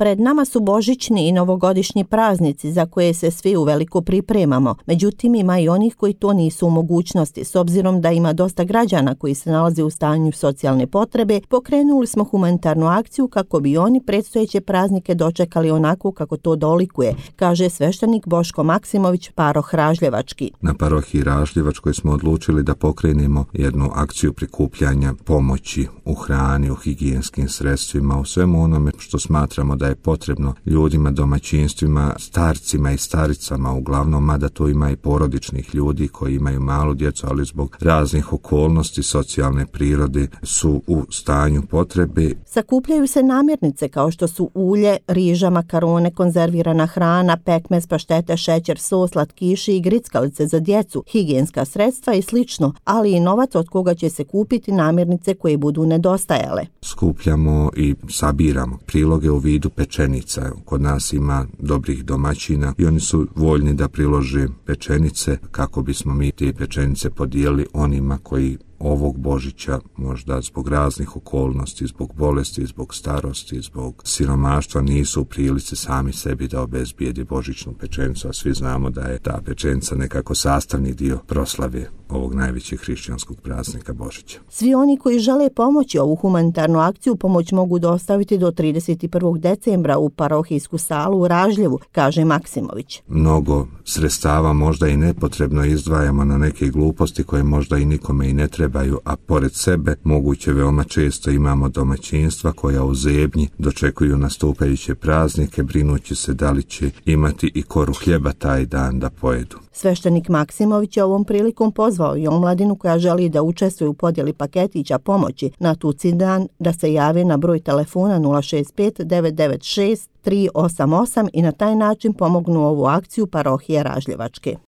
Pred nama su božićni i novogodišnji praznici za koje se svi uveliko pripremamo. Međutim, ima i onih koji to nisu u mogućnosti. S obzirom da ima dosta građana koji se nalaze u stanju socijalne potrebe, pokrenuli smo humanitarnu akciju kako bi oni predstojeće praznike dočekali onako kako to dolikuje, kaže sveštenik Boško Maksimović, paroh Ražljevački. Na parohiji Ražljevačkoj smo odlučili da pokrenemo jednu akciju prikupljanja pomoći u hrani, u higijenskim sredstvima, u svemu onome što smatramo da je potrebno ljudima, domaćinstvima, starcima i staricama uglavnom, mada tu ima i porodičnih ljudi koji imaju malu djecu, ali zbog raznih okolnosti socijalne prirode su u stanju potrebe. Sakupljaju se namirnice kao što su ulje, riža, makarone, konzervirana hrana, pekmez, paštete, šećer, sos, slatkiši i grickalice za djecu, higijenska sredstva i slično, ali i novac od koga će se kupiti namirnice koje budu nedostajale. Skupljamo i sabiramo priloge u vidu pečenica. Kod nas ima dobrih domaćina i oni su voljni da prilože pečenice kako bismo mi te pečenice podijelili onima koji ovog Božića možda zbog raznih okolnosti, zbog bolesti, zbog starosti, zbog siromaštva nisu u prilici sami sebi da obezbijede božićnu pečenicu, a svi znamo da je ta pečenica nekako sastavni dio proslave ovog najvećeg hrišćanskog praznika Božića. Svi oni koji žele pomoći ovu humanitarnu akciju pomoć mogu dostaviti do 31. decembra u parohijsku salu u Ražljevu, kaže Maksimović. Mnogo sredstava možda i nepotrebno izdvajamo na neke gluposti koje možda i nikome i ne trebaju, a pored sebe moguće veoma često imamo domaćinstva koja u zebnji dočekuju nastupajuće praznike, brinući se da li će imati i koru hljeba taj dan da pojedu. Sveštenik Maksimović je ovom prilikom pozvao i omladinu koja želi da učestvuje u podjeli paketića pomoći na tuci dan da se jave na broj telefona 065 996 388 i na taj način pomognu ovu akciju parohije Ražljevačke.